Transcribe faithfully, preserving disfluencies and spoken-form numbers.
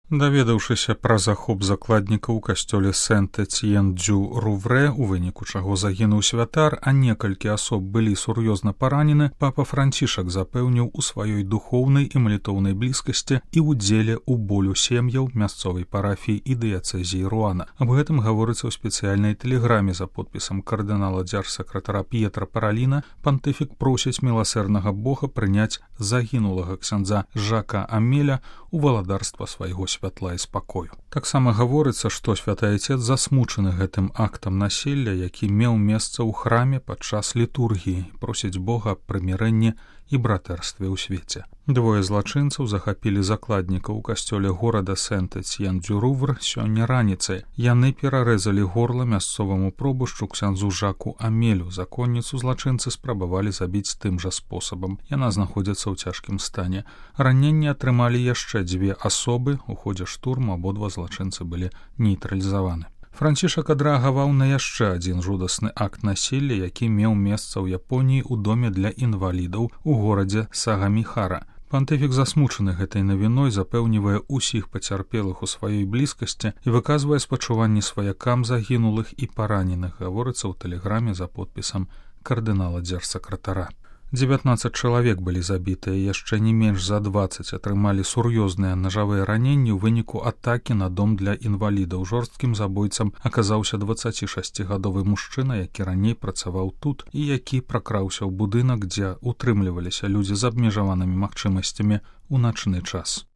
Даведаўшыся пра захоп закладнікаў у касцёле Сент-Эцьен-дю-Руврэ, у выніку чаго загінуў святар, а некалькі асоб былі сур'ёзна паранены, папа Францішак запэўніў у сваёй духоўнай і малітоўнай блізкасці і ўдзеле ў болю сем'яў мясцовай парафіі і дыяцэзіі Руана. Аб гэтым гаворыцца ў спецыяльнай тэлеграме за подпісам кардынала дзяржсакратара П'етра Параліна. Пантыфік просіць міласэрнага Бога прыняць загінулага ксяндза Жака Амеля у валадарства свайго святла і спакою. Таксама гаворыцца, што святы Айцец засмучаны гэтым актам насілля, які меў месца ў храме падчас літургіі, просіць Бога аб прымірэнні і братэрстве ў свеце. Двое злачынцаў захапілі закладнікаў у касцёле горада Сент-Эцьен-дю-Рувр сёння раніцай. Яны перарэзалі горла мясцоваму пробушчу ксяндзу Жаку Амелю. Законніцу злачынцы спрабавалі забіць тым жа спосабам. Яна знаходзіцца ў цяжкім стане. Раненні атрымалі яшчэ дзве асобы. У ходзе штурму абодва злачынцы былі нейтралізаваны. Францішак адрэагаваў на яшчэ адзін жудасны акт насілля, які меў месца ў Японіі ў доме для інвалідаў у горадзе Сагаміхара. Пантыфік засмучаны гэтай навіной, запэўнівае ўсіх пацярпелых у сваёй блізкасці і выказвае спачуванні сваякам загінулых і параненых, гаворыцца ў тэлеграме за подпісам кардынала дзяржсакратара. дзевятнаццаць чалавек былі забітыя, яшчэ не менш за дваццаць атрымалі сур'ёзныя нажавыя раненні ў выніку атакі на дом для інвалідаў. Жорсткім забойцам аказаўся дваццацішасцігадовы мужчына, які раней працаваў тут і які пракраўся ў будынак, дзе утрымліваліся людзі з абмежаванымі магчымасцямі ў начны час.